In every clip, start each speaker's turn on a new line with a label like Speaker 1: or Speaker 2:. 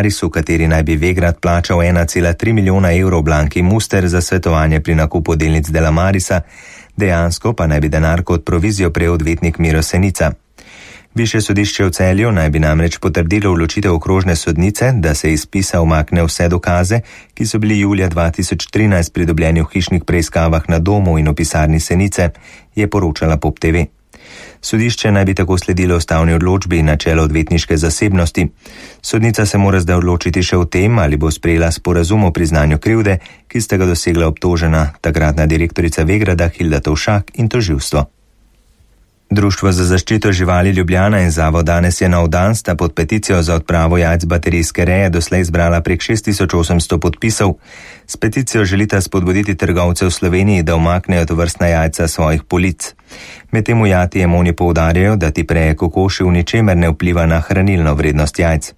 Speaker 1: v kateri naj bi Vegrad plačal 1,3 milijona evrov Blanki Muster za svetovanje pri nakupu delnic Delamarisa, dejansko pa naj bi denar kot provizijo prejel odvetnik Miro Senica. Višje sodišče v Celju naj bi namreč potrdilo odločitev okrožne sodnice, da se iz spisa umakne vse dokaze, ki so bili julija 2013 pridobljeni v hišnih preiskavah na domu in v pisarni Senice, je poročala Pop TV. Sodišče naj bi tako sledilo ustavni odločbi in načelo odvetniške zasebnosti. Sodnica se mora zdaj odločiti še o tem, ali bo sprejela sporazum o priznanju krivde, ki sta ga dosegla obtožena, takratna direktorica Vegrada Hilda Tovšak in tožilstvo. Društvo za zaščito živali Ljubljana in Zavod Danes je nov dan sta pod peticijo za odpravo jajc baterijske reje doslej zbrala prek 6800 podpisov. S peticijo želita spodbuditi trgovce v Sloveniji, da umaknejo tovrstna jajca svojih polic. Medtem v Jati Emoni poudarjajo, da ti preje kokoši v ničemer ne vpliva na hranilno vrednost jajc.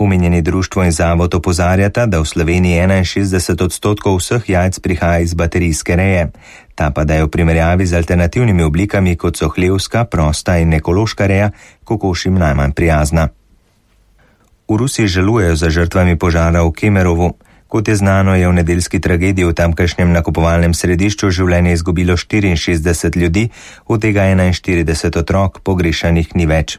Speaker 1: Omenjeni društvo in zavod opozarjata, da v Sloveniji 61% vseh jajc prihaja iz baterijske reje. Ta pa da je v primerjavi z alternativnimi oblikami, kot so hlevska, prosta in ekološka reja, kokošim najmanj prijazna. V Rusiji žalujejo za žrtvami požara v Kemerovu. Kot je znano, je v nedeljski tragediji v tamkajšnjem nakupovalnem središču življenje izgubilo 64 ljudi, od tega 41 otrok, pogrešanih ni več.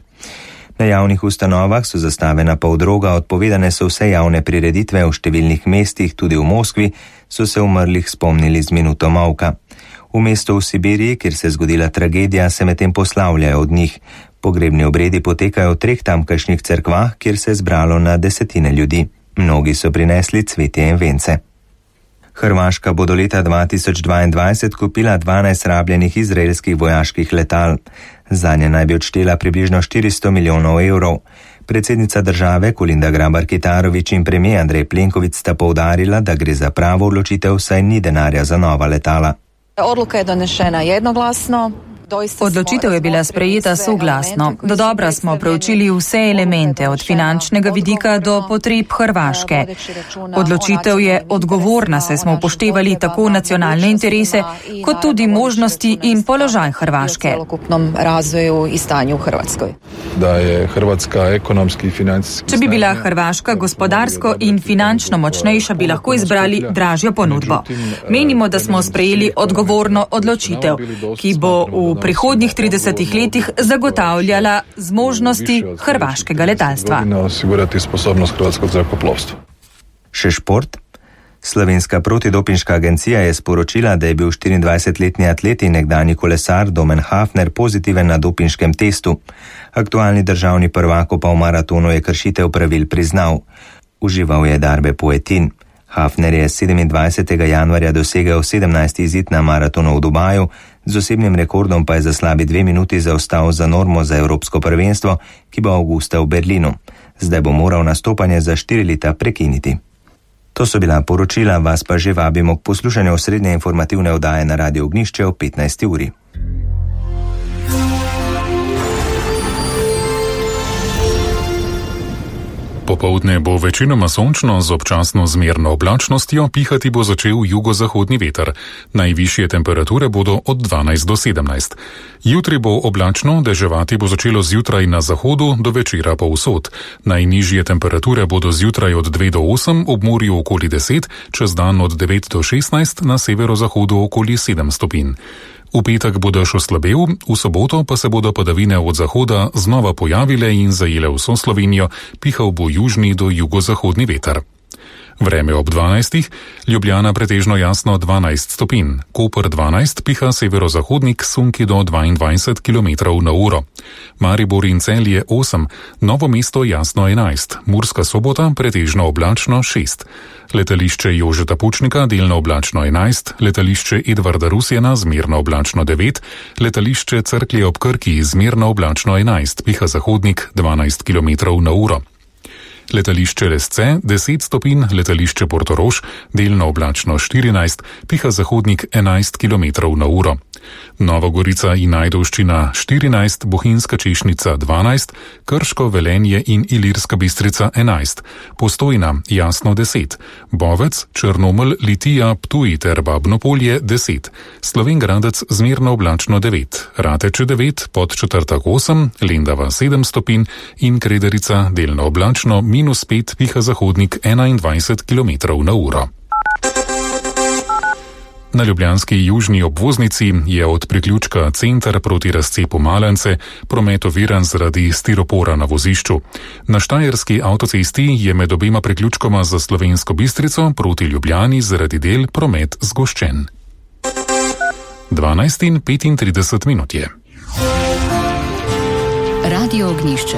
Speaker 1: Na javnih ustanovah so zastavljena poldroga, odpovedane so vse javne prireditve, v številnih mestih, tudi v Moskvi, so se umrlih spomnili z minuto molka. V mestu v Sibiriji, kjer se je zgodila tragedija, se medtem poslavljajo od njih. Pogrebni obredi potekajo v 3 tamkajšnjih cerkvah, kjer se je zbralo na desetine ljudi. Mnogi so prinesli cvetje in vence. Hrvaška bo do leta 2022 kupila 12 rabljenih izraelskih vojaških letal. Zanje naj bi odštela približno 400 milijonov evrov. Predsednica države Kolinda Grabar-Kitarović in premijer Andrej Plenković sta poudarila, da gre za pravo odločitev, saj ni denarja za nova letala.
Speaker 2: Odluka je donešena jednoglasno.
Speaker 3: Odločitev je bila sprejeta soglasno. Dodobra smo preučili vse elemente, od finančnega vidika do potreb Hrvaške. Odločitev je odgovorna, saj smo upoštevali tako nacionalne interese, kot tudi možnosti in položaj Hrvaške.
Speaker 4: Da je Hrvatska ekonomski in finančni.
Speaker 3: Če bi bila Hrvaška gospodarsko in finančno močnejša, bi lahko izbrali dražjo ponudbo. Menimo, da smo sprejeli odgovorno odločitev, ki bo v prihodnjih 30 letih zagotavljala zmožnosti hrvaškega letalstva.
Speaker 1: Še šport. Slovenska protidopinška agencija je sporočila, da je bil 24-letni atlet in nekdanji kolesar Domen Hafner pozitiven na dopinškem testu. Aktualni državni prvak pa v maratonu je kršitev pravil priznal. Užival je darbe poetin. Hafner je 27. januarja dosegel 17. izid na maratonu v Dubaju, z osebnim rekordom pa je za slabi 2 minuti zaostal za normo za evropsko prvenstvo, ki bo avgusta v Berlinu. Zdaj bo moral nastopanje za 4 leta prekiniti. To so bila poročila, vas pa že vabimo k poslušanju osrednje informativne oddaje na Radio Ognjišče o 15. uri.
Speaker 5: Popoldne bo večinoma sončno z občasno zmerno oblačnostjo, pihati bo začel jugozahodni veter. Najvišje temperature bodo od 12 do 17. Jutri bo oblačno, deževati bo začelo zjutraj na zahodu, do večera povsod. Najnižje temperature bodo zjutraj od 2 do 8, ob morju okoli 10, čez dan od 9 do 16, na severozahodu okoli 7 stopinj. V petek bo dež oslabel, v soboto pa se bodo padavine od zahoda znova pojavile in zajele vso Slovenijo, pihal bo južni do jugozahodni veter. Vreme ob 12. Ljubljana pretežno jasno 12 stopinj, Koper 12, piha severozahodnik sunki do 22 km/h. Maribor in Celje 8, Novo mesto jasno 11, Murska Sobota pretežno oblačno 6. Letališče Jožeta Pučnika delno oblačno 11, letališče Edvarda Rusjana zmerno oblačno 9, letališče Cerklje ob Krki zmerno oblačno 11, piha zahodnik 12 km/h. Letališče Lesce 10 stopinj, letališče Portorož delno oblačno 14, piha zahodnik 11 km/h. Nova Gorica in Ajdovščina 14, Bohinjska Češnica 12, Krško, Velenje in Ilirska Bistrica 11, Postojna, Jasno 10, Bovec, Črnomelj, Litija, Ptuj ter Babno Polje 10, Slovenj Gradec zmerno oblačno 9, Rateče 9, Podčetrtek 8, Lendava 7 stopinj in Krederica delno oblačno -5, piha zahodnik 21 km/h. Na ljubljanski južni obvoznici je od priključka Center proti razcepu Malence promet oviran zaradi stiropora na vozišču. Na Štajerski avtocesti je med obema priključkoma za Slovensko Bistrico proti Ljubljani zaradi del promet zgoščen. 12:35 je.
Speaker 6: Radio Ognjišče.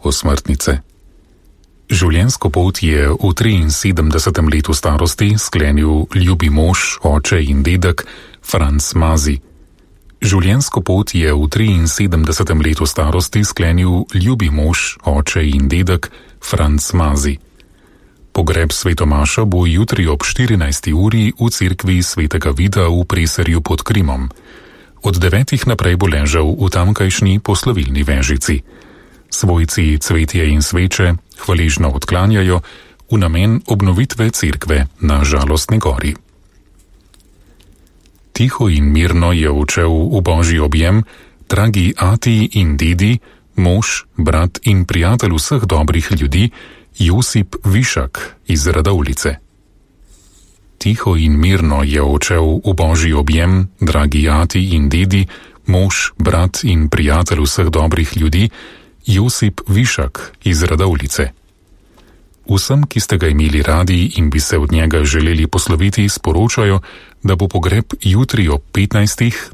Speaker 5: Osmrtnice. Življenjsko pot je v 73. letu starosti sklenil ljubi mož, oče in dedek Franc Mazi. Življenjsko pot je v 73. letu starosti sklenil ljubi mož, oče in dedek Franc Mazi. Pogreb svetomaša bo jutri ob 14. uri v cerkvi svetega Vida v Preserju pod Krimom. Od 9. naprej bo ležal v tamkajšnji poslovilni vežici. Svojci cvetje in sveče hvaležno odklanjajo v namen obnovitve cerkve na Žalostni gori. Tiho in mirno je odšel v božji objem dragi ati in dedi, mož, brat in prijatelj vseh dobrih ljudi, Josip Višak iz Radovljice. Tiho in mirno je odšel v božji objem dragi ati in dedi, mož, brat in prijatelj vseh dobrih ljudi, Josip Višak iz Radovljice. Vsem, ki ste ga imeli radi in bi se od njega želeli posloviti, sporočajo, da bo pogreb jutri ob 15.